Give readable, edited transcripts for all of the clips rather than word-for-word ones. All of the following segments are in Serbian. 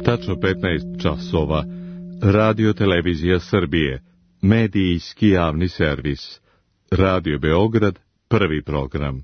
Tačno 15 časova. Radio Televizija Srbije. Medijski javni servis. Radio Beograd, prvi program.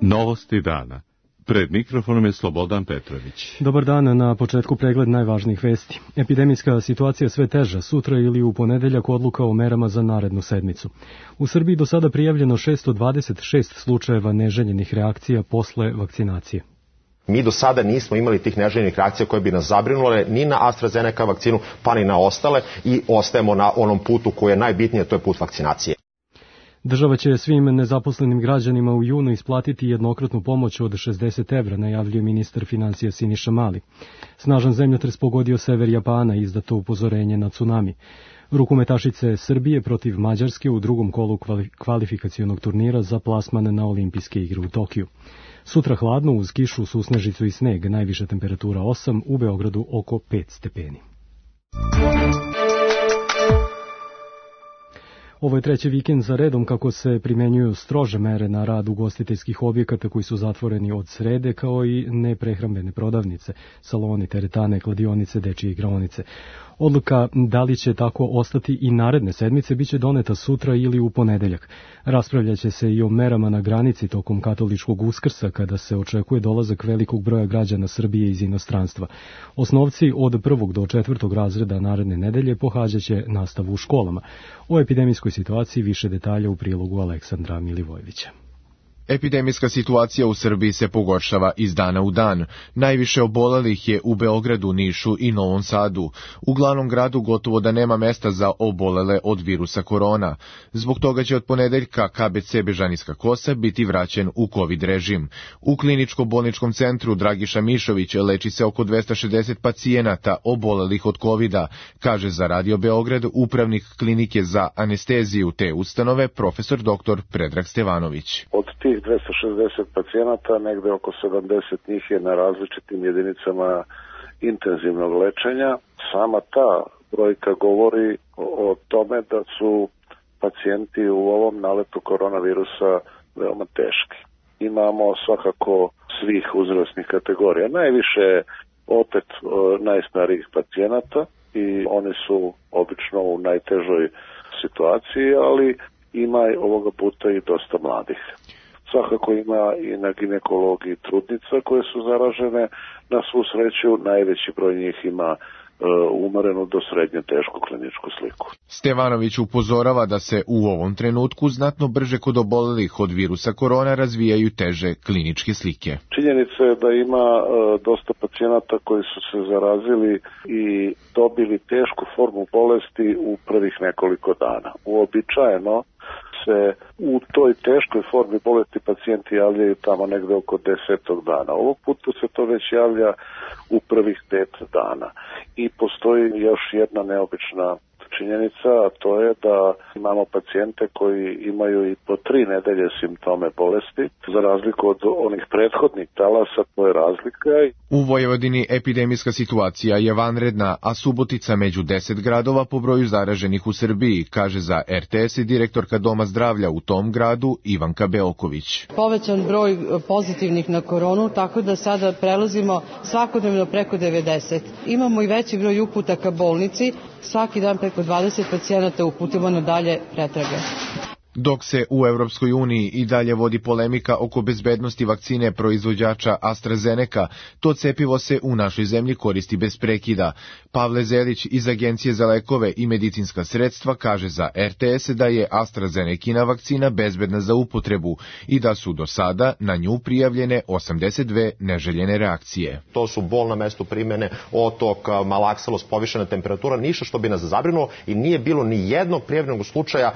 Novosti dana. Pred mikrofonom je Slobodan Petrović. Dobar dan, na početku pregled najvažnijih vesti. Epidemijska situacija sve teža, sutra ili u ponedeljak odluka o merama za narednu sedmicu. U Srbiji do sada prijavljeno 626 slučajeva neželjenih reakcija posle vakcinacije. Mi do sada nismo imali tih neželjenih reakcija koje bi nas zabrinule ni na AstraZeneca vakcinu, pa ni na ostale i ostajemo na onom putu koji je najbitniji, to je put vakcinacije. Država će svim nezaposlenim građanima u junu isplatiti jednokratnu pomoć od 60 evra, najavljuje ministar finansija Siniša Mali. Snažan zemljotres pogodio sever Japana, izdato upozorenje na tsunami. Rukometašice Srbije protiv Mađarske u drugom kolu kvalifikacionog turnira za plasman na olimpijske igre u Tokiju. Sutra hladno uz kišu, susnežicu i sneg, najviša temperatura 8, u Beogradu oko 5 stepeni. Ovo je treći vikend za redom kako se primenjuju strože mere na rad ugostiteljskih objekata koji su zatvoreni od srede, kao i neprehrambene prodavnice, saloni, teretane, kladionice, dečije igraonice. Odluka da li će tako ostati i naredne sedmice biće doneta sutra ili u ponedeljak. Raspravljaće se i o merama na granici tokom katoličkog Uskrsa, kada se očekuje dolazak velikog broja građana Srbije iz inostranstva. Osnovci od 1. do 4. razreda naredne nedelje pohađaće nastavu u školama. O epidemijskoj situaciji više detalja u prilogu Aleksandra Milivojevića. Epidemijska situacija u Srbiji se pogoršava iz dana u dan. Najviše obolelih je u Beogradu, Nišu i Novom Sadu. U glavnom gradu gotovo da nema mesta za obolele od virusa korona. Zbog toga će od ponedeljka KBC Bežanijska Kosa biti vraćen u COVID režim. U kliničko-bolničkom centru Dragiša Mišović leči se oko 260 pacijenata obolelih od COVID-a, kaže za Radio Beograd upravnik klinike za anesteziju te ustanove profesor dr. Predrag Stevanović. Od tih 260 pacijenata, negde oko 70 njih je na različitim jedinicama intenzivnog lečenja. Sama ta brojka govori o tome da su pacijenti u ovom naletu koronavirusa veoma teški. Imamo svakako svih uzrasnih kategorija. Najviše opet najstarijih pacijenata i oni su obično u najtežoj situaciji, ali ima ovoga puta i dosta mladih. Svakako ima i na ginekologiji trudnica koje su zaražene. Na svu sreću najveći broj njih ima umerenu do srednje tešku kliničku sliku. Stevanović upozorava da se u ovom trenutku znatno brže kod obolelih od virusa korona razvijaju teže kliničke slike. Činjenica je da ima dosta pacijenata koji su se zarazili i dobili tešku formu bolesti u prvih nekoliko dana. Uobičajeno se u toj teškoj formi bolesti pacijenti javljaju tamo negde oko 10. dana. Ovog puta se to već javlja u prvih 5 dana. I postoji još jedna neobična činjenica, a to je da imamo pacijente koji imaju i po 3 nedelje simptome bolesti, za razliku od onih prethodnih talasa, to je razlika. U Vojvodini epidemijska situacija je vanredna, a Subotica među 10 gradova po broju zaraženih u Srbiji, kaže za RTS i direktorka Doma zdravlja u tom gradu Ivanka Beoković. Povećan broj pozitivnih na koronu, tako da sada prelazimo svakodnevno preko 90. Imamo i veći broj uputa ka bolnici, svaki dan preko 20 pacijenata uputimo na dalje pretrage. Dok se u Evropskoj uniji i dalje vodi polemika oko bezbednosti vakcine proizvođača AstraZeneca, to cepivo se u našoj zemlji koristi bez prekida. Pavle Zelić iz Agencije za lekove i medicinska sredstva kaže za RTS da je AstraZenecina vakcina bezbedna za upotrebu i da su do sada na nju prijavljene 82 neželjene reakcije. To su bol na mestu primene, otok, malakselost, povišena temperatura, ništa što bi nas zabrinulo i nije bilo ni jednog prijavljenog slučaja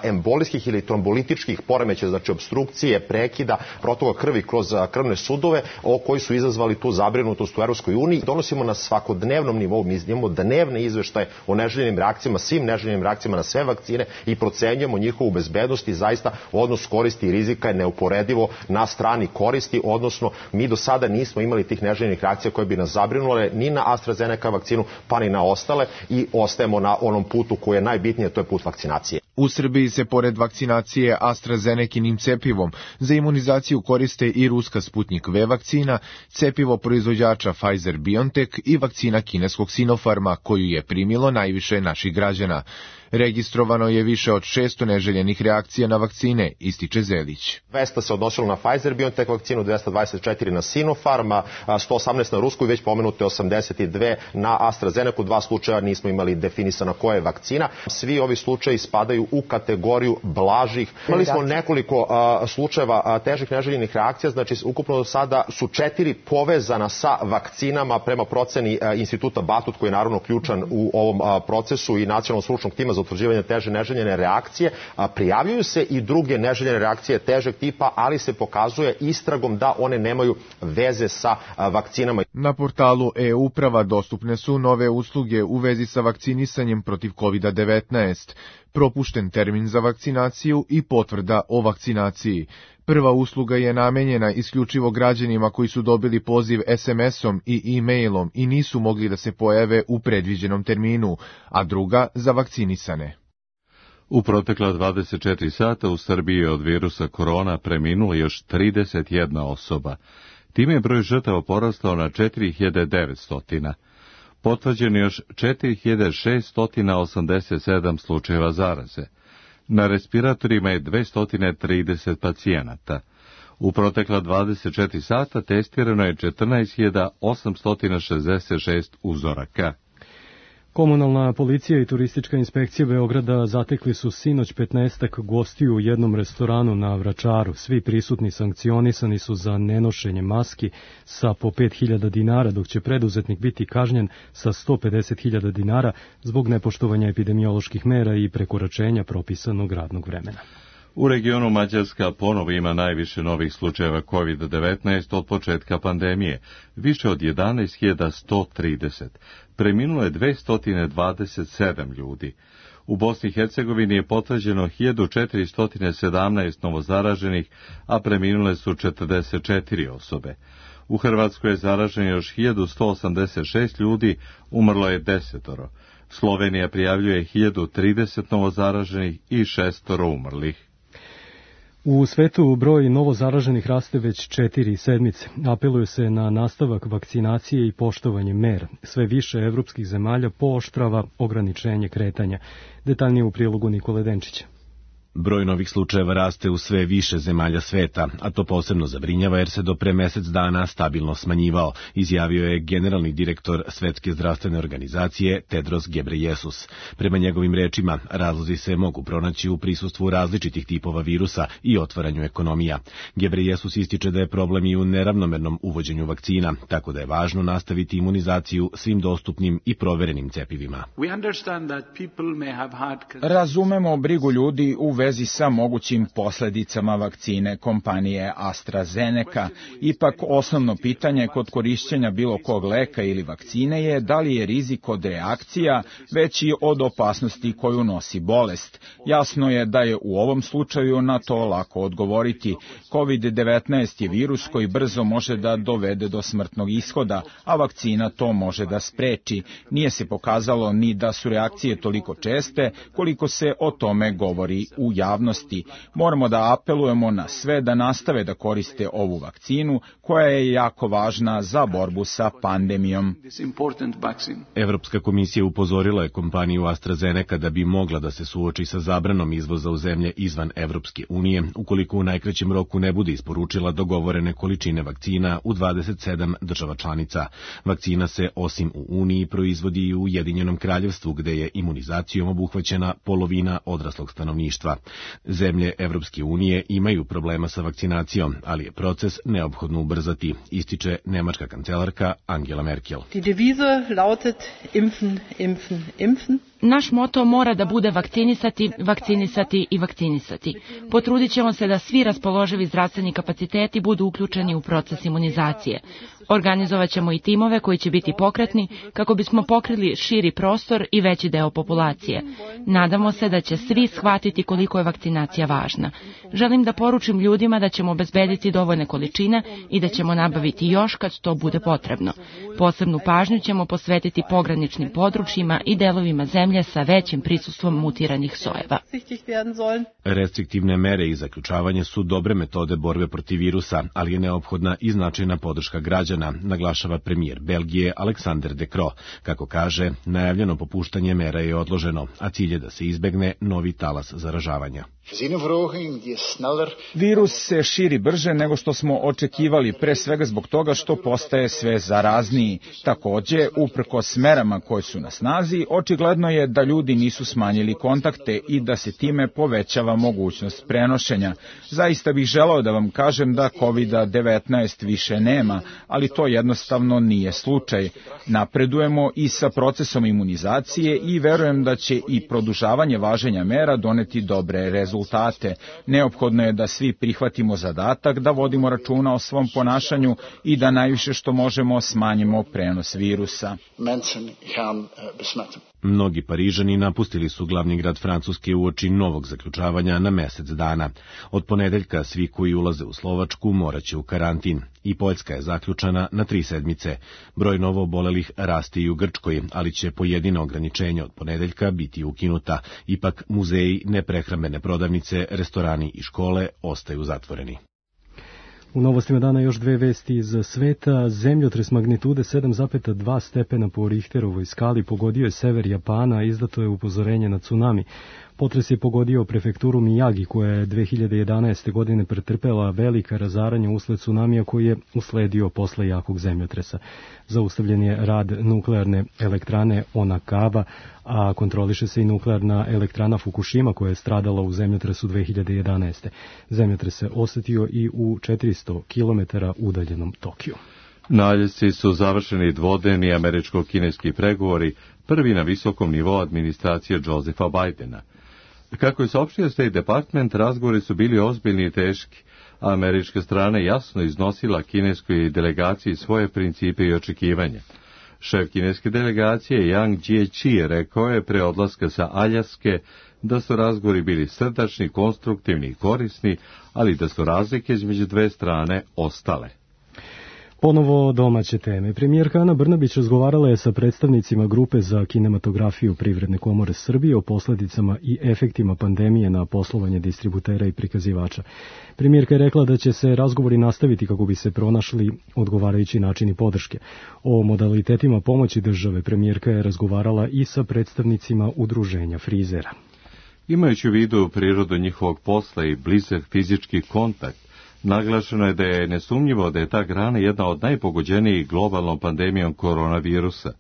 embolijskih ili trombolitičkih poremećaja, znači obstrukcije, prekida, protoka krvi kroz krvne sudove, koji su izazvali tu zabrinutost u Evropskoj uniji. Donosimo na svakodnevnom nivou, mi imamo dnevne izveštaje o neželjenim reakcijama, svim neželjenim reakcijama na sve vakcine i procenjujemo njihovu bezbednost i zaista odnos koristi i rizika je neuporedivo na strani koristi, odnosno mi do sada nismo imali tih neželjenih reakcija koje bi nas zabrinule ni na AstraZeneca vakcinu, pa ni na ostale i ostajemo na onom putu koji je najbitniji, to je put vakcinacije. U Srbiji se pored vakcinacije AstraZenekinim cepivom za imunizaciju koriste i ruska Sputnik V vakcina, cepivo proizvođača Pfizer-BioNTech i vakcina kineskog Sinopharma, koju je primilo najviše naših građana. Registrovano je više od 600 neželjenih reakcija na vakcine, ističe Zelić. 200 se odnosilo na Pfizer-BioNTech vakcinu, 224 na Sinopharm, 118 na rusku i već pomenute 82 na AstraZeneku. 2 slučaja nismo imali definisana koja je vakcina. Svi ovi slučaji spadaju u kategoriju blažih. Imali smo nekoliko slučajeva težih neželjenih reakcija, znači ukupno do sada su 4 povezana sa vakcinama prema proceni instituta Batut, koji je naravno ključan u ovom procesu, i nacionalnog stručnog tima za utvrđivanje teže neželjene reakcije. Prijavljuju se i druge neželjene reakcije težeg tipa, ali se pokazuje istragom da one nemaju veze sa vakcinama. Na portalu e-uprava dostupne su nove usluge u vezi sa vakcinisanjem protiv COVID-19, propušten termin za vakcinaciju i potvrda o vakcinaciji. Prva usluga je namenjena isključivo građanima koji su dobili poziv SMS-om i e-mailom i nisu mogli da se pojave u predviđenom terminu, a druga za vakcinisane. U protekla 24 sata u Srbiji je od virusa korona preminulo još 31 osoba. Time je broj žrtava porastao na 4900. Potvrđeno još 4687 slučajeva zaraze. Na respiratorima je 230 pacijenata. U protekla 24 sata testirano je 14.866 uzoraka. Komunalna policija i turistička inspekcija Beograda zatekli su sinoć 15 gostiju u jednom restoranu na Vračaru. Svi prisutni sankcionisani su za nenošenje maski sa po 5.000 dinara, dok će preduzetnik biti kažnjen sa 150.000 dinara zbog nepoštovanja epidemioloških mera i prekoračenja propisanog radnog vremena. U regionu Mađarska ponovo ima najviše novih slučajeva COVID-19 od početka pandemije, više od 11.130. Preminulo je 227 ljudi. U Bosni i Hercegovini je potvrđeno 1417 novozaraženih, a preminule su 44 osobe. U Hrvatskoj je zaraženo još 1186 ljudi, umrlo je 10. Slovenija prijavljuje 1030 novozaraženih i 6 umrlih. U svetu broj novozaraženih raste već 4 sedmice. Apeluje se na nastavak vakcinacije i poštovanje mera. Sve više evropskih zemalja pooštrava ograničenje kretanja. Detaljnije u prilogu Nikole Denčića. Broj novih slučajeva raste u sve više zemalja sveta, a to posebno zabrinjava jer se do pre mesec dana stabilno smanjivao, izjavio je generalni direktor Svetske zdravstvene organizacije Tedros Ghebreyesus. Prema njegovim rečima, razlozi se mogu pronaći u prisustvu različitih tipova virusa i otvaranju ekonomija. Ghebreyesus ističe da je problem i u neravnomernom uvođenju vakcina, tako da je važno nastaviti imunizaciju svim dostupnim i proverenim cepivima. Razumemo brigu ljudi u vezi sa mogućim posledicama vakcine kompanije AstraZeneca. Ipak osnovno pitanje kod korišćenja bilo kog leka ili vakcine je da li je rizik od reakcija veći od opasnosti koju nosi bolest. Jasno je da je u ovom slučaju na to lako odgovoriti. COVID-19 je virus koji brzo može da dovede do smrtnog ishoda, a vakcina to može da spreči. Nije se pokazalo ni da su reakcije toliko česte koliko se o tome govori u javnosti. Moramo da apelujemo na sve da nastave da koriste ovu vakcinu koja je jako važna za borbu sa pandemijom. Evropska komisija upozorila je kompaniju AstraZeneca da bi mogla da se suoči sa zabranom izvoza u zemlje izvan Evropske unije ukoliko u najkraćem roku ne bude isporučila dogovorene količine vakcina u 27 država članica. Vakcina se osim u Uniji proizvodi i u Ujedinjenom Kraljevstvu gde je imunizacijom obuhvaćena polovina odraslog stanovništva. Zemlje Evropske unije imaju problema sa vakcinacijom, ali je proces neophodno ubrzati, ističe nemačka kancelarka Angela Merkel. Die Devise lautet impfen, impfen, impfen. Naš moto mora da bude vakcinisati, vakcinisati i vakcinisati. Potrudit ćemo se da svi raspoloživi zdravstveni kapaciteti budu uključeni u proces imunizacije. Organizovat ćemo i timove koji će biti pokretni kako bismo pokrili širi prostor i veći deo populacije. Nadamo se da će svi shvatiti koliko je vakcinacija važna. Želim da poručim ljudima da ćemo obezbediti dovoljne količine i da ćemo nabaviti još kad to bude potrebno. Posebnu pažnju ćemo posvetiti pograničnim područjima i delovima zemlje zemlje sa većim prisustvom mutiranih sojeva. Restriktivne mere i zaključavanje su dobre metode borbe protiv virusa, ali je neophodna i značajna podrška građana, naglašava premijer Belgije Alexander De Croo. Kako kaže, najavljeno popuštanje mera je odloženo, a cilj je da se izbegne novi talas zaražavanja. Virus se širi brže nego što smo očekivali, pre svega zbog toga što postaje sve zarazniji. Takođe, uprkos merama koje su na snazi, očigledno je da ljudi nisu smanjili kontakte i da se time povećava mogućnost prenošenja. Zaista bih želeo da vam kažem da COVID-19 više nema, ali to jednostavno nije slučaj. Napredujemo i sa procesom imunizacije i verujem da će i produžavanje važenja mera doneti dobre rezultate. Neophodno je da svi prihvatimo zadatak, da vodimo računa o svom ponašanju i da najviše što možemo smanjimo prenos virusa. Mnogi Parižani napustili su glavni grad Francuske uoči novog zaključavanja na mesec dana. Od ponedeljka svi koji ulaze u Slovačku moraće u karantin. I Poljska je zaključana na 3 sedmice. Broj novo obolelih raste i u Grčkoj, ali će pojedina ograničenja od ponedeljka biti ukinuta. Ipak muzeji, neprehrambene prodavnice, restorani i škole ostaju zatvoreni. U novostima dana još 2 vesti iz sveta. Zemljotres magnitude 7,2 stepena po Richterovoj skali pogodio je sever Japana, izdato je upozorenje na tsunami. Potres je pogodio prefekturu Miyagi, koja je 2011. godine pretrpela velika razaranja usled tsunamija koji je usledio posle jakog zemljotresa. Zaustavljen je rad nuklearne elektrane Onakawa, a kontroliše se i nuklearna elektrana Fukushima koja je stradala u zemljotresu 2011. Zemljotres se osetio i u 400 km udaljenom Tokiju. Na Aljasci su završeni dvodnevni američko-kineski pregovori, prvi na visokom nivou administracije Josepha Bidena. Kako je saopštio State Department, razgovori su bili ozbiljni i teški, a američka strana jasno iznosila kineskoj delegaciji svoje principe i očekivanja. Šef kineske delegacije Yang Jiechi rekao je pre odlaska sa Aljaske da su razgovori bili srdačni, konstruktivni i korisni, ali da su razlike između dve strane ostale. Ponovo domaće teme. Premijerka Ana Brnabić razgovarala je sa predstavnicima Grupe za kinematografiju Privredne komore Srbije o posledicama i efektima pandemije na poslovanje distributera i prikazivača. Premijerka je rekla da će se razgovori nastaviti kako bi se pronašli odgovarajući načini podrške. O modalitetima pomoći države premijerka je razgovarala i sa predstavnicima udruženja frizera. Imajući u vidu prirodu njihovog posla i blizak fizički kontakt, naglašeno je da je nesumnjivo da je ta grana jedna od najpogođenijih globalnom pandemijom koronavirusa.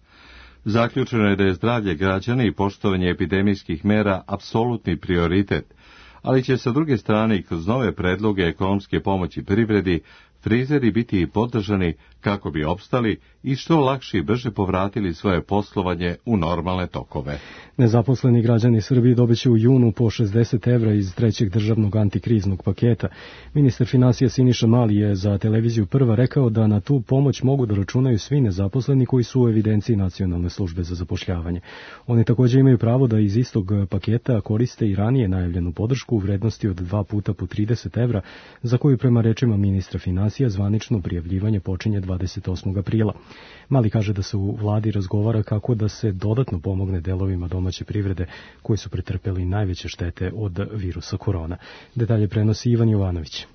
Zaključeno je da je zdravlje građana i poštovanje epidemijskih mera apsolutni prioritet, ali će sa druge strane i kroz nove predloge ekonomske pomoći privredi frizeri biti podržani kako bi opstali i što lakše i brže povratili svoje poslovanje u normalne tokove. Nezaposleni građani Srbije dobiće u junu po 60 evra iz trećeg državnog antikriznog paketa. Ministar finansija Siniša Mali je za televiziju Prva rekao da na tu pomoć mogu da računaju svi nezaposleni koji su u evidenciji Nacionalne službe za zapošljavanje. Oni također imaju pravo da iz istog paketa koriste i ranije najavljenu podršku u vrednosti od 2 puta po 30 evra, za koju prema rečima ministra finansija zvanično prijavljivanje počinje 28. aprila. Mali kaže da se u vladi razgovara kako da se dodatno pomogne delovima domaće privrede koji su pretrpeli najveće štete od virusa korona. Detalje prenosi Ivan Jovanović.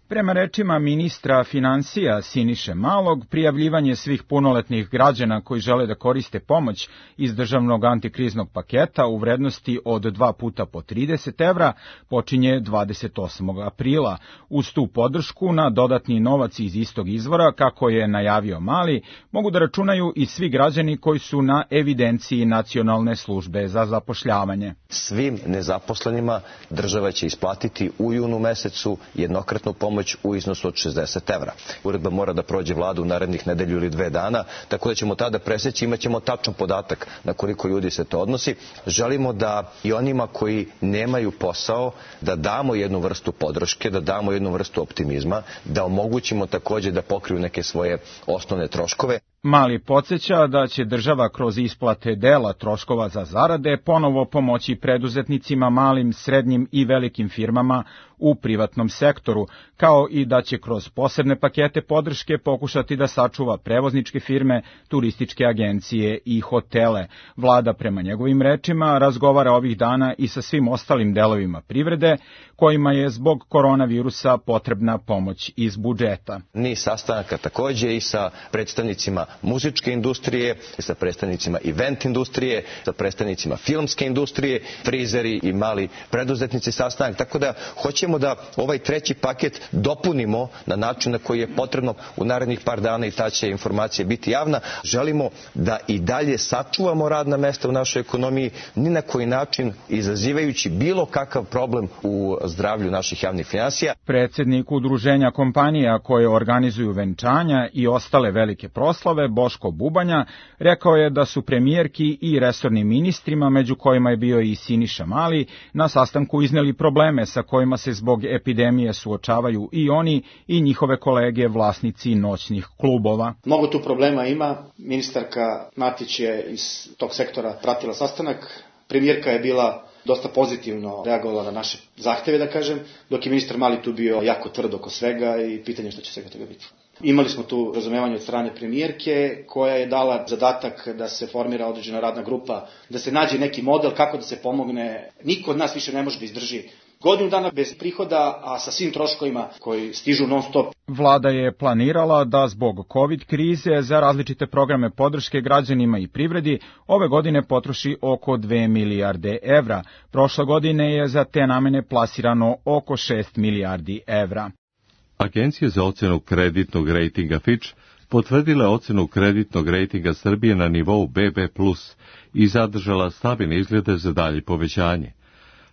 Prema rečima ministra finansija Siniše Malog, prijavljivanje svih punoletnih građana koji žele da koriste pomoć iz državnog antikriznog paketa u vrednosti od 2 puta po 30 evra počinje 28. aprila. Uz tu podršku na dodatni novac iz istog izvora, kako je najavio Mali, mogu da računaju i svi građani koji su na evidenciji Nacionalne službe za zapošljavanje. Svim nezaposlenima država će isplatiti u junu mesecu jednokratnu pomoć u iznosu od 60 evra. Uredba mora da prođe vladu u narednih nedelju ili 2 dana, tako da ćemo tada preseći, imat ćemo tačan podatak na koliko ljudi se to odnosi. Želimo da i onima koji nemaju posao, da damo jednu vrstu podrške, da damo jednu vrstu optimizma, da omogućimo također da pokriju neke svoje osnovne troškove. Mali podsjeća da će država kroz isplate dela troškova za zarade ponovo pomoći preduzetnicima, malim, srednjim i velikim firmama u privatnom sektoru, kao i da će kroz posebne pakete podrške pokušati da sačuva prevozničke firme, turističke agencije i hotele. Vlada, prema njegovim rečima, razgovara ovih dana i sa svim ostalim delovima privrede, kojima je zbog koronavirusa potrebna pomoć iz budžeta. Niz sastanaka takođe i sa predstavnicima muzičke industrije, sa predstavnicima event industrije, sa predstavnicima filmske industrije, frizeri i mali preduzetnici sastanak, tako da hoćemo da ovaj treći paket dopunimo na način na koji je potrebno u narednih par dana i ta će informacija biti javna. Želimo da i dalje sačuvamo radna mesta u našoj ekonomiji, ni na koji način izazivajući bilo kakav problem u zdravlju naših javnih finansija. Predsjednik udruženja kompanija koje organizuju venčanja i ostale velike proslave, Boško Bubanja, rekao je da su premijerki i resornim ministrima, među kojima je bio i Siniša Mali, na sastanku izneli probleme sa kojima se zbog epidemije suočavaju i oni i njihove kolege vlasnici noćnih klubova. Mnogo tu problema ima. Ministarka Matić je iz tog sektora pratila sastanak. Premijerka je bila dosta pozitivno reagovala na naše zahteve, da kažem, dok je ministar Mali tu bio jako tvrd oko svega i pitanje što će svega toga biti. Imali smo tu razumevanje od strane premijerke koja je dala zadatak da se formira određena radna grupa, da se nađe neki model kako da se pomogne. Niko od nas više ne može da izdrži godinu dana bez prihoda, a sa svim troškovima koji stižu non stop. Vlada je planirala da zbog COVID krize za različite programe podrške građanima i privredi ove godine potroši oko 2 milijarde evra. Prošle godine je za te namene plasirano oko 6 milijardi evra. Agencija za ocenu kreditnog rejtinga Fitch potvrdila je ocenu kreditnog rejtinga Srbije na nivou BB+, i zadržala stabilne izglede za dalje povećanje.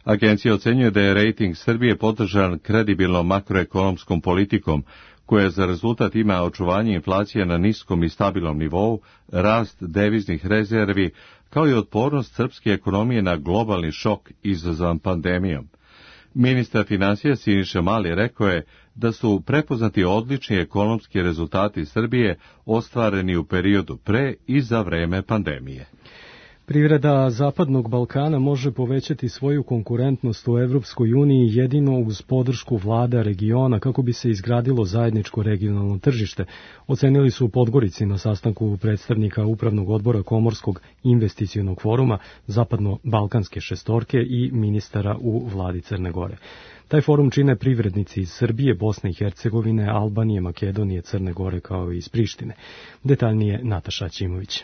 Agencija ocenjuje da je rejting Srbije podržan kredibilnom makroekonomskom politikom, koja za rezultat ima očuvanje inflacije na niskom i stabilnom nivou, rast deviznih rezervi, kao i otpornost srpske ekonomije na globalni šok izazvan pandemijom. Ministar finansija Siniša Mali rekao je da su prepoznati odlični ekonomski rezultati Srbije ostvareni u periodu pre i za vreme pandemije. Privreda Zapadnog Balkana može povećati svoju konkurentnost u Evropskoj uniji jedino uz podršku vlada regiona kako bi se izgradilo zajedničko regionalno tržište, ocenili su u Podgorici na sastanku predstavnika Upravnog odbora Komorskog investicionog foruma Zapadno-Balkanske šestorke i ministara u vladi Crne Gore. Taj forum čine privrednici iz Srbije, Bosne i Hercegovine, Albanije, Makedonije, Crne Gore kao i iz Prištine. Detaljnije Nataša Ćimović.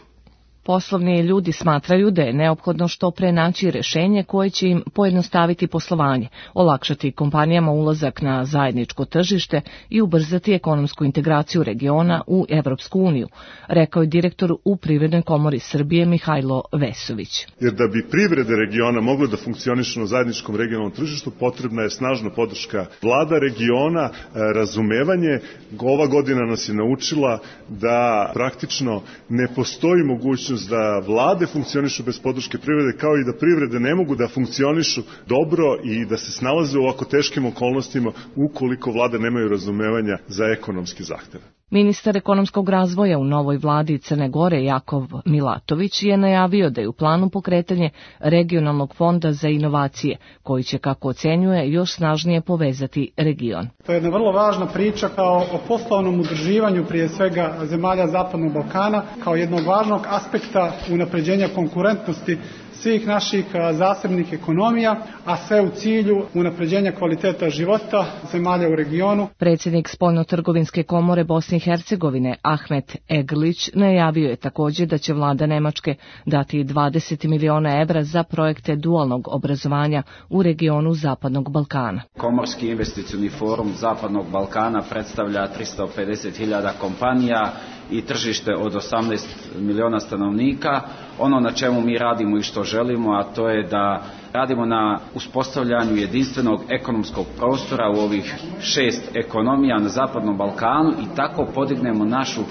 Poslovni ljudi smatraju da je neophodno što pre naći rešenje koje će im pojednostaviti poslovanje, olakšati kompanijama ulazak na zajedničko tržište i ubrzati ekonomsku integraciju regiona u Evropsku uniju, rekao je direktor u Privrednoj komori Srbije Mihajlo Vesović. Jer da bi privrede regiona mogle da funkcionišu na zajedničkom regionalnom tržištu, potrebna je snažna podrška vlada regiona, razumevanje. Ova godina nas je naučila da praktično ne postoji mogućnost da vlade funkcionišu bez podrške privrede, kao i da privrede ne mogu da funkcionišu dobro i da se snalaze u ovako teškim okolnostima ukoliko vlade nemaju razumevanja za ekonomski zahteve. Ministar ekonomskog razvoja u novoj vladi Crne Gore Jakov Milatović je najavio da je u planu pokretanje regionalnog fonda za inovacije, koji će, kako ocenjuje, još snažnije povezati region. To je jedna vrlo važna priča kao o poslovnom udruživanju prije svega zemalja Zapadnog Balkana, kao jednog važnog aspekta unapređenja konkurentnosti svih naših zasebnih ekonomija, a sve u cilju unapređenja kvaliteta života zemalja u regionu. Predsjednik Spoljnotrgovinske komore Bosne i Hercegovine Ahmet Eglić najavio je također da će vlada Nemačke dati 20 miliona evra za projekte dualnog obrazovanja u regionu Zapadnog Balkana. Komorski investicioni forum Zapadnog Balkana predstavlja 350.000 kompanija i tržište od 18 miliona stanovnika. Ono na čemu mi radimo i što želimo, a to je da radimo na uspostavljanju jedinstvenog ekonomskog prostora u ovih 6 ekonomija na Zapadnom Balkanu i tako podignemo našu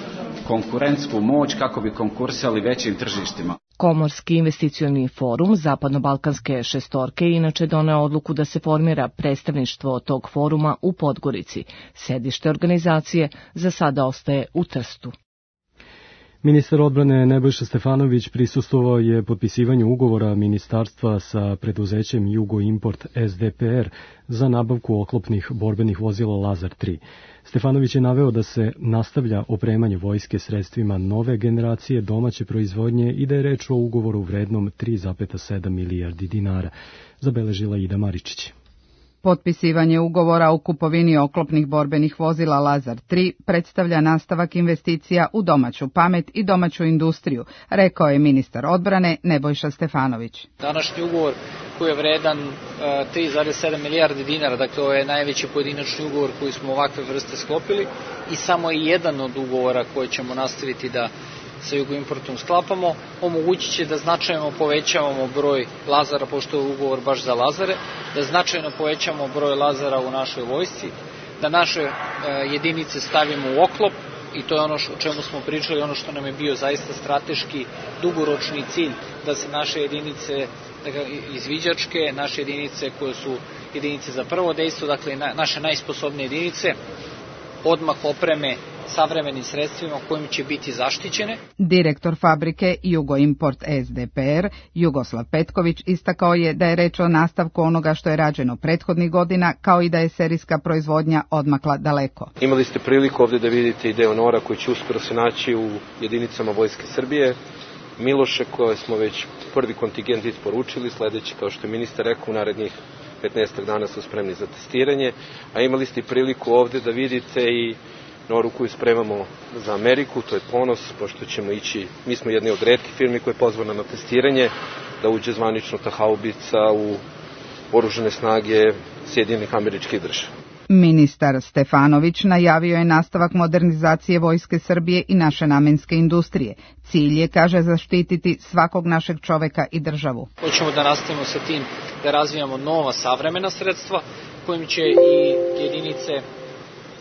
konkurentsku moć kako bi konkurisali većim tržištima. Komorski investicioni forum Zapadno-Balkanske šestorke inače doneo odluku da se formira predstavništvo tog foruma u Podgorici. Sedište organizacije za sada ostaje u Trstu. Ministar odbrane Nebojša Stefanović prisustvovao je potpisivanju ugovora ministarstva sa preduzećem Jugo Import SDPR za nabavku oklopnih borbenih vozila Lazar 3. Stefanović je naveo da se nastavlja opremanje vojske sredstvima nove generacije domaće proizvodnje i da je reč o ugovoru vrednom 3,7 milijardi dinara, zabeležila Ida Maričić. Potpisivanje ugovora o kupovini oklopnih borbenih vozila Lazar 3 predstavlja nastavak investicija u domaću pamet i domaću industriju, rekao je ministar odbrane Nebojša Stefanović. Današnji ugovor koji je vredan 3,7 milijardi dinara, dakle ovo je najveći pojedinačni ugovor koji smo ovakve vrste sklopili i samo je jedan od ugovora koje ćemo nastaviti da sa Jugoimportom sklapamo, omogućit će da značajno povećavamo broj Lazara, pošto je ugovor baš za Lazare, da značajno povećamo broj Lazara u našoj vojsci, da naše jedinice stavimo u oklop i to je ono o čemu smo pričali, ono što nam je bio zaista strateški, dugoročni cilj, da se naše jedinice izviđačke, naše jedinice koje su jedinice za prvo dejstvo, dakle naše najsposobnije jedinice, odmah opreme savremenim sredstvima kojim će biti zaštićene. Direktor fabrike Jugo Import SDPR, Jugoslav Petković, istakao je da je reč o nastavku onoga što je rađeno prethodnih godina, kao i da je serijska proizvodnja odmakla daleko. Imali ste priliku ovdje da vidite i deo Nora koji će uskoro se naći u jedinicama Vojske Srbije, Miloše koje smo već prvi kontingent isporučili, sledeći, kao što je ministar rekao, u narednih 15 dana su spremni za testiranje, a imali ste priliku ovdje da vidite i Noru koju spremamo za Ameriku, to je ponos, pošto ćemo ići, mi smo jedni od retkih firmi koja je pozvana na testiranje, da uđe zvanično ta haubica u oružane snage Sjedinjenih Američkih Država. Ministar Stefanović najavio je nastavak modernizacije Vojske Srbije i naše namenske industrije. Cilj je, kaže, zaštititi svakog našeg čoveka i državu. Hoćemo da nastavimo sa tim da razvijamo nova savremena sredstva kojim će i jedinice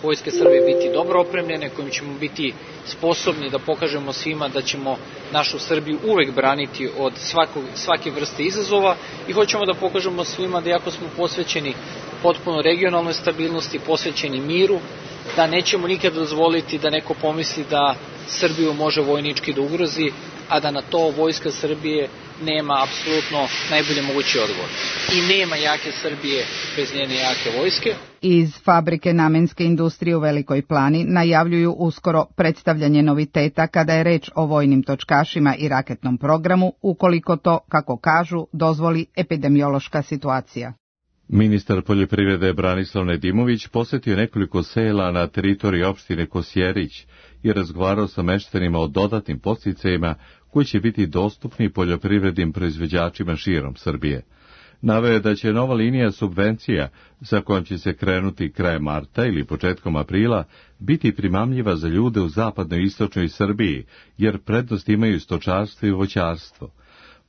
Vojske Srbije biti dobro opremljene, kojim ćemo biti sposobni da pokažemo svima da ćemo našu Srbiju uvek braniti od svake vrste izazova i hoćemo da pokažemo svima da jako smo posvećeni potpuno regionalnoj stabilnosti, posvećeni miru, da nećemo nikada dozvoliti da neko pomisli da Srbiju može vojnički da ugrozi, a da na to Vojska Srbije nema apsolutno najbolje mogući odgovor. I nema jake Srbije bez njene jake vojske. Iz fabrike namenske industrije u Velikoj Plani najavljuju uskoro predstavljanje noviteta kada je reč o vojnim točkašima i raketnom programu, ukoliko to, kako kažu, dozvoli epidemiološka situacija. Ministar poljoprivrede Branislav Nedimović posjetio nekoliko sela na teritoriji opštine Kosjerić i razgovarao sa meštanima o dodatnim podsticajima koji će biti dostupni poljoprivrednim proizvođačima širom Srbije. Naveo je da će nova linija subvencija, sa kojom će se krenuti krajem marta ili početkom aprila, biti primamljiva za ljude u zapadnoj i istočnoj Srbiji, jer prednost imaju stočarstvo i voćarstvo.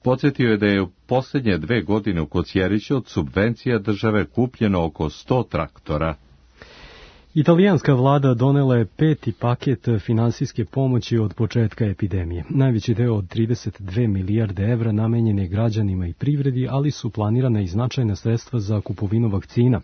Podsjetio je da je u posljednje 2 godine u Kosjeriću od subvencija države kupljeno oko 100 traktora. Italijanska vlada donela je 5. paket finansijske pomoći od početka epidemije. Najveći deo od 32 milijarde evra namenjen je građanima i privredi, ali su planirana i značajna sredstva za kupovinu vakcina.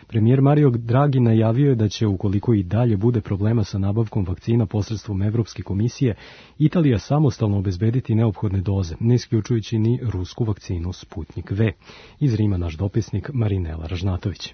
Premijer Mario Draghi najavio je da će, ukoliko i dalje bude problema sa nabavkom vakcina posredstvom Evropske komisije, Italija samostalno obezbediti neophodne doze, ne isključujući ni rusku vakcinu Sputnik V. Iz Rima naš dopisnik Marinela Ražnatović.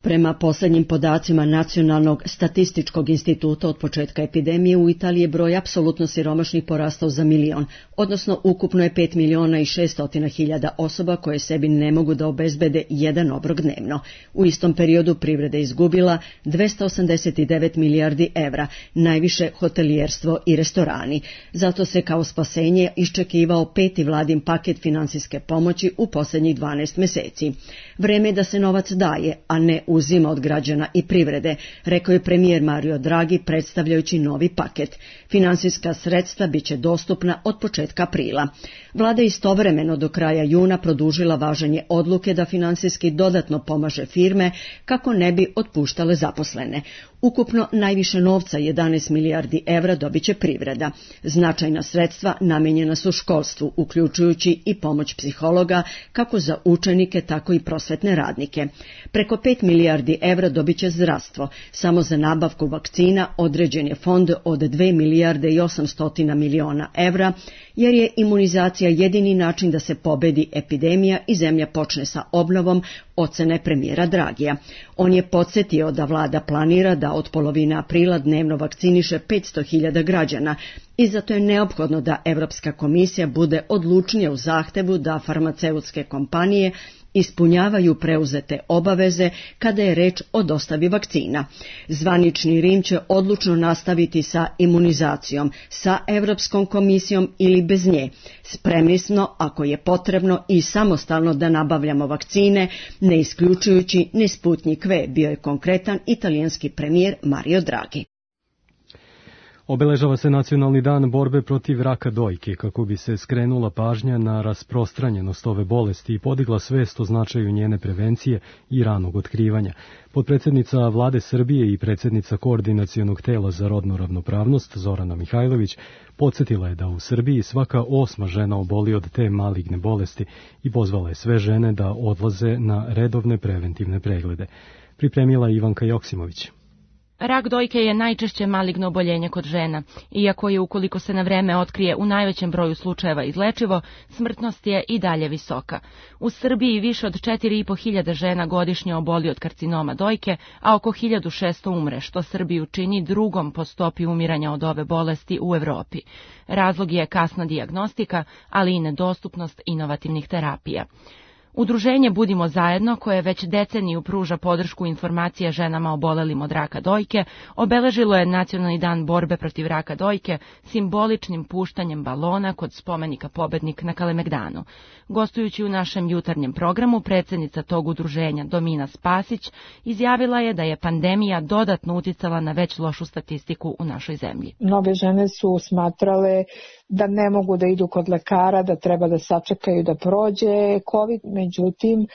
Prema posljednjim podacima Nacionalnog statističkog instituta od početka epidemije u Italiji je broj apsolutno siromašnih porastao za 1 milion, odnosno ukupno je 5.600.000 osoba koje sebi ne mogu da obezbede jedan obrok dnevno. U istom periodu privreda izgubila 289 milijardi evra, najviše hotelijerstvo i restorani. Zato se kao spasenje iščekivao 5. vladin paket finansijske pomoći u posljednjih 12 meseci. Vreme je da se novac daje, a ne uzima od građana i privrede, rekao je premijer Mario Draghi predstavljajući novi paket. Finansijska sredstva biće dostupna od početka aprila. Vlada istovremeno do kraja juna produžila važenje odluke da finansijski dodatno pomaže firme kako ne bi otpuštale zaposlene. Ukupno najviše novca, 11 milijardi evra, dobiće privreda. Značajna sredstva namijenjena su školstvu, uključujući i pomoć psihologa kako za učenike, tako i prosvetne radnike. Preko 5 milijardi evra dobiće zdravstvo. Samo za nabavku vakcina određen je fond od 2 milijarde i 800 miliona evra, jer je imunizacija jedini način da se pobedi epidemija i zemlja počne sa obnovom, ocene premijera Dragija. On je podsjetio da vlada planira da od polovine aprila dnevno vakciniše 500.000 građana i zato je neophodno da Evropska komisija bude odlučnija u zahtevu da farmaceutske kompanije ispunjavaju preuzete obaveze kada je reč o dostavi vakcina. Zvanični Rim će odlučno nastaviti sa imunizacijom, sa Evropskom komisijom ili bez nje. Spremni smo, ako je potrebno, i samostalno da nabavljamo vakcine, ne isključujući ni Sputnik V, bio je konkretan italijanski premijer Mario Draghi. Obeležava se Nacionalni dan borbe protiv raka dojke kako bi se skrenula pažnja na rasprostranjenost ove bolesti i podigla svest o značaju njene prevencije i ranog otkrivanja. Potpredsjednica Vlade Srbije i predsjednica Koordinacionog tela za rodnu ravnopravnost Zorana Mihajlović podsjetila je da u Srbiji svaka 8. žena oboli od te maligne bolesti i pozvala je sve žene da odlaze na redovne preventivne preglede. Pripremila je Ivanka Joksimović. Rak dojke je najčešće maligno oboljenje kod žena. Iako je, ukoliko se na vreme otkrije, u najvećem broju slučajeva izlečivo, smrtnost je i dalje visoka. U Srbiji više od 4.500 žena godišnje oboli od karcinoma dojke, a oko 1.600 umre, što Srbiju čini drugom po stopi umiranja od ove bolesti u Evropi. Razlog je kasna dijagnostika, ali i nedostupnost inovativnih terapija. Udruženje Budimo zajedno, koje već deceniju pruža podršku informacije ženama obolelim od raka dojke, obeležilo je Nacionalni dan borbe protiv raka dojke simboličnim puštanjem balona kod spomenika Pobednik na Kalemegdanu. Gostujući u našem jutarnjem programu, predsjednica tog udruženja Domina Spasić izjavila je da je pandemija dodatno uticala na već lošu statistiku u našoj zemlji. Mnoge žene su smatrale da ne mogu da idu kod lekara, da treba da sačekaju da prođe COVID, međutim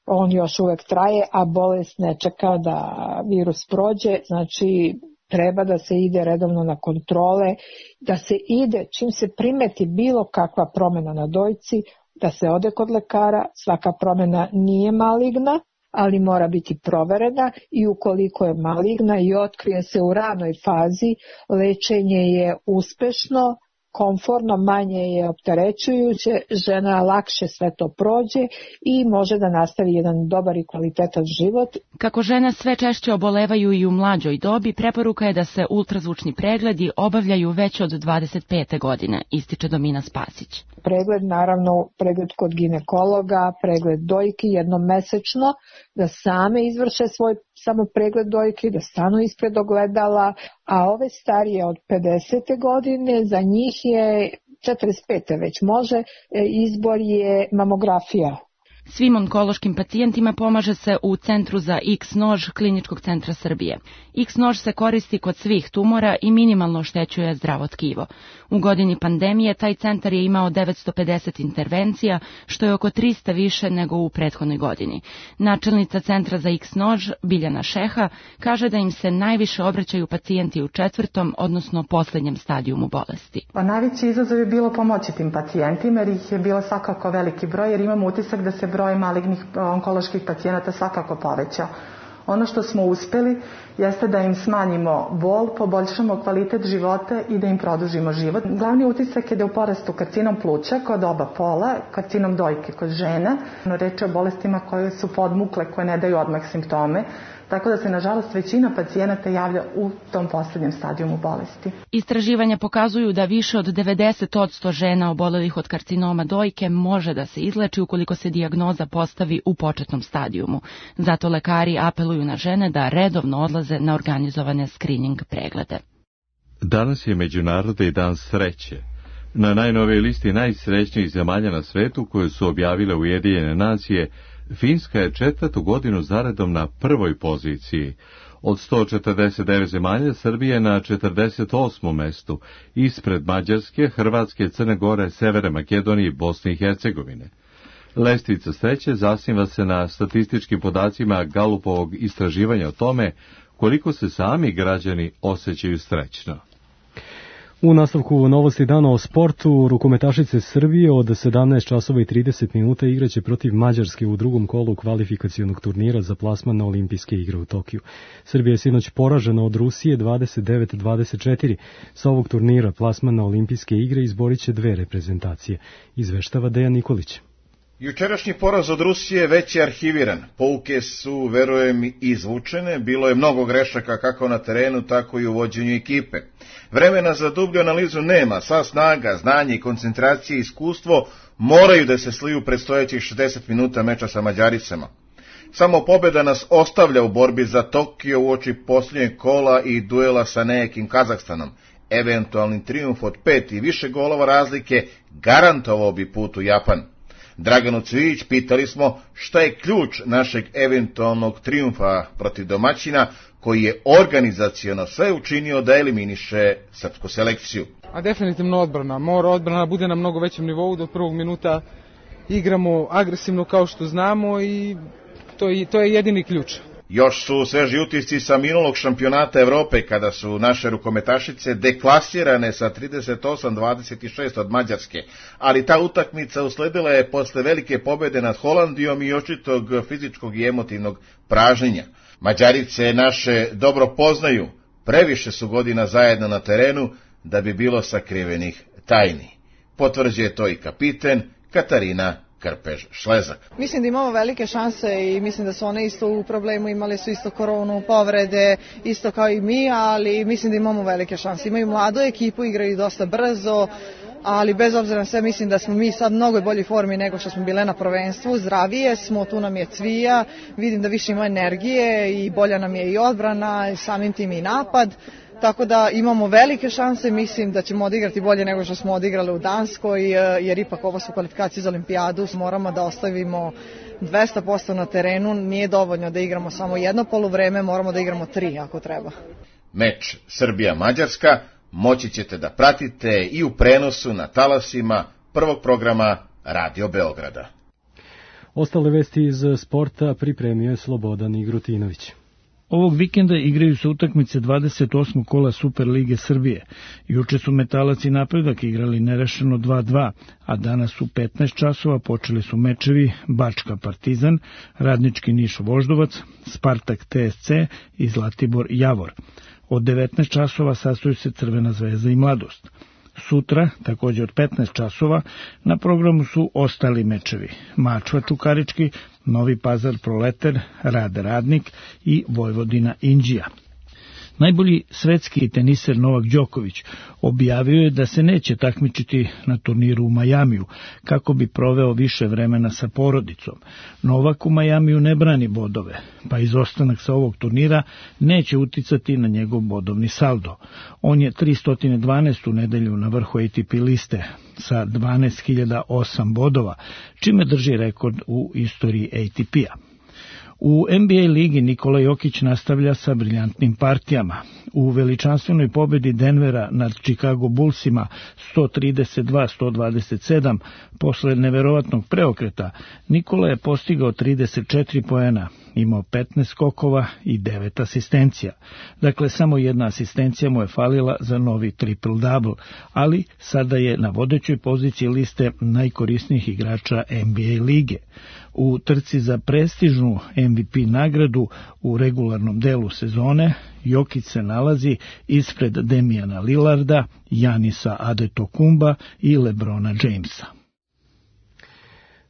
on još uvek traje, a bolest ne čeka da virus prođe, znači treba da se ide redovno na kontrole, da se ide čim se primeti bilo kakva promjena na dojci, da se ode kod lekara, svaka promjena nije maligna, ali mora biti proverena i ukoliko je maligna i otkrije se u ranoj fazi, lečenje je uspešno, komforno, manje je opterećujuće, žena lakše sve to prođe i može da nastavi jedan dobar i kvalitetan život. Kako žene sve češće obolevaju i u mlađoj dobi, preporuka je da se ultrazvučni pregledi obavljaju već od 25. godine, ističe Domina Spasić. Pregled, naravno, pregled kod ginekologa, pregled dojki jednom mesečno, da same izvrše svoj samo pregled dojke, da stanu ispred ogledala, a ove starije od 50. godine, za njih je 45. već može, izbor je mamografija. Svim onkološkim pacijentima pomaže se u Centru za X-nož Kliničkog centra Srbije. X-nož se koristi kod svih tumora i minimalno oštećuje zdravo tkivo. U godini pandemije taj centar je imao 950 intervencija, što je oko 300 više nego u prethodnoj godini. Načelnica Centra za X-nož, Biljana Šeha, kaže da im se najviše obraćaju pacijenti u 4., odnosno posljednjem stadijumu bolesti. Najveći izazov je bilo pomoći tim pacijentima, jer ih je bilo svakako veliki broj, jer imamo utisak da se broj malignih onkoloških pacijenata svakako povećao. Ono što smo uspeli jeste da im smanjimo bol, poboljšamo kvalitet života i da im produžimo život. Glavni utisak je da je u porastu karcinom pluća kod oba pola, karcinom dojke kod žena. Reč je o bolestima koje su podmukle, koje ne daju odmah simptome. Tako da se, nažalost, većina pacijenata javlja u tom posljednjem stadijumu bolesti. Istraživanja pokazuju da više od 90% žena obolelih od karcinoma dojke može da se izleči ukoliko se dijagnoza postavi u početnom stadijumu. Zato lekari apeluju na žene da redovno odlaze na organizovane screening preglede. Danas je Međunarodni dan sreće. Na najnovijoj listi najsrećnijih zemalja na svetu koju su objavile Ujedinjene nacije, Finska je 4. godinu zaredom na prvoj poziciji. Od 149 zemalja Srbija je na 48. mestu, ispred Mađarske, Hrvatske, Crne Gore, Severne Makedonije i Bosne i Hercegovine. Lestvica sreće zasniva se na statističkim podacima Galupovog istraživanja o tome koliko se sami građani osjećaju srećno. U nastavku novosti dana o sportu, rukometašice Srbije od 17 časova i 30 minuta igraće protiv Mađarske u drugom kolu kvalifikacionog turnira za plasman na olimpijske igre u Tokiju. Srbija je sinoć poražena od Rusije 29-24. Sa ovog turnira plasman na olimpijske igre izborit će dve reprezentacije. Izveštava Dejan Nikolić. Jučerašnji poraz od Rusije već je arhiviran. Pouke su, verujem, izvučene. Bilo je mnogo grešaka kako na terenu, tako i u vođenju ekipe. Vremena za dublju analizu nema. Sva snaga, znanje i koncentracije i iskustvo moraju da se sliju predstojećih 60 minuta meča sa Mađaricama. Samo pobjeda nas ostavlja u borbi za Tokio uoči posljednjeg kola i duela sa nekim Kazahstanom. Eventualni trijumf od 5 i više golova razlike garantovao bi put u Japan. Draganu Cvijić pitali smo šta je ključ našeg eventualnog trijumfa protiv domaćina koji je organizaciono sve učinio da eliminiše srpsku selekciju. A definitivno odbrana. Mora odbrana bude na mnogo većem nivou, do prvog minuta igramo agresivno kao što znamo i to je jedini ključ. Još su sveži utisci sa minulog šampionata Evrope kada su naše rukometašice deklasirane sa 38-26 od Mađarske, ali ta utakmica usledila je posle velike pobjede nad Holandijom i očitog fizičkog i emotivnog pražnjenja. Mađarice naše dobro poznaju, previše su godina zajedno na terenu da bi bilo sakrivenih tajni. Potvrđuje to i kapiten Katarina Krpež-Šlezak. Mislim da imamo velike šanse i mislim da su one isto u problemu, imali su isto koronu, povrede, isto kao i mi, ali mislim da imamo velike šanse. Imaju mladu ekipu, igraju dosta brzo, ali bez obzira na sve mislim da smo mi sad mnogo boljoj formi nego što smo bile na prvenstvu, zdravije smo, tu nam je Cvija, vidim da više ima energije i bolja nam je i odbrana, samim tim i napad. Tako da imamo velike šanse, mislim da ćemo odigrati bolje nego što smo odigrali u Danskoj, jer ipak ovo su kvalifikacije za olimpijadu, moramo da ostavimo 200% na terenu, nije dovoljno da igramo samo jedno poluvreme, moramo da igramo 3 ako treba. Meč Srbija-Mađarska moći ćete da pratite i u prenosu na talasima prvog programa Radio Beograda. Ostale vesti iz sporta pripremio je Slobodan Igrutinović. Ovog vikenda igraju se utakmice 28. kola Super Lige Srbije. Juče su Metalac i Napredak igrali nerešeno 2-2, a danas u 15 časova počeli su mečevi Bačka Partizan, Radnički Niš Voždovac, Spartak TSC i Zlatibor Javor. Od 19 časova sastoju se Crvena zvezda i Mladost. Sutra, također od 15 časova, na programu su ostali mečevi. Mačva Čukarički, Novi Pazar Proleter, Rad Radnik i Vojvodina Inđija. Najbolji svetski teniser Novak Đoković objavio je da se neće takmičiti na turniru u Majamiju, kako bi proveo više vremena sa porodicom. Novak u Majamiju ne brani bodove, pa izostanak sa ovog turnira neće uticati na njegov bodovni saldo. On je 312. nedelju na vrhu ATP liste sa 12.008 bodova, čime drži rekord u istoriji ATP-a. U NBA ligi Nikola Jokić nastavlja sa briljantnim partijama. U veličanstvenoj pobedi Denvera nad Chicago Bullsima 132-127 posle neverovatnog preokreta, Nikola je postigao 34 poena, imao 15 skokova i 9 asistencija. Dakle, samo jedna asistencija mu je falila za novi triple-double, ali sada je na vodećoj poziciji liste najkorisnijih igrača NBA lige. U trci za prestižnu MVP nagradu u regularnom delu sezone Jokić se nalazi ispred Damiana Lillarda, Janisa Adetokumba i Lebrona Jamesa.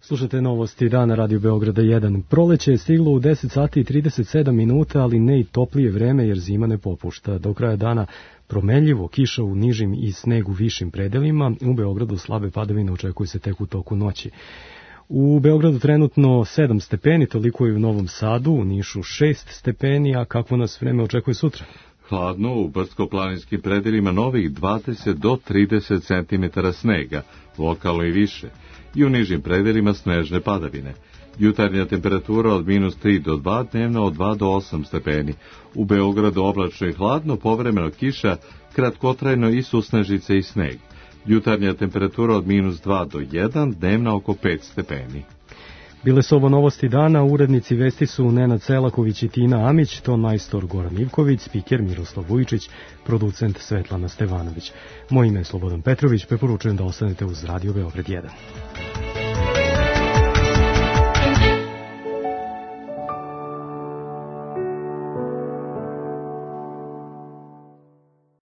Slušate novosti dana Radio Beograda 1. Proleće je stiglo u 10 sati i 37 minuta, ali ne i toplije vreme jer zima ne popušta. Do kraja dana promenljivo, kiša u nižim i sneg u višim predelima. U Beogradu slabe padavine očekuju se tek u toku noći. U Beogradu trenutno 7 stepeni, toliko je u Novom Sadu, u Nišu 6 stepeni, a kakvo nas vreme očekuje sutra? Hladno, u brdsko-planinskim predelima novih 20 do 30 cm snega, lokalno i više, i u nižim predelima snežne padavine. Jutarnja temperatura od -3 do 2, dnevna od 2 do 8 stepeni. U Beogradu oblačno i hladno, povremeno kiša, kratkotrajno i susnežice i sneg. Jutarnja temperatura od -2 do 1, dnevna oko 5 stepeni. Bile su ovo novosti dana, urednici vesti su Nenad Selaković i Tina Amić, ton majstor Goran Ivković, spiker Miroslav Vujičić, producent Svetlana Stevanović. Moje ime je Slobodan Petrović, preporučujem da ostanete uz Radio Beograd 1.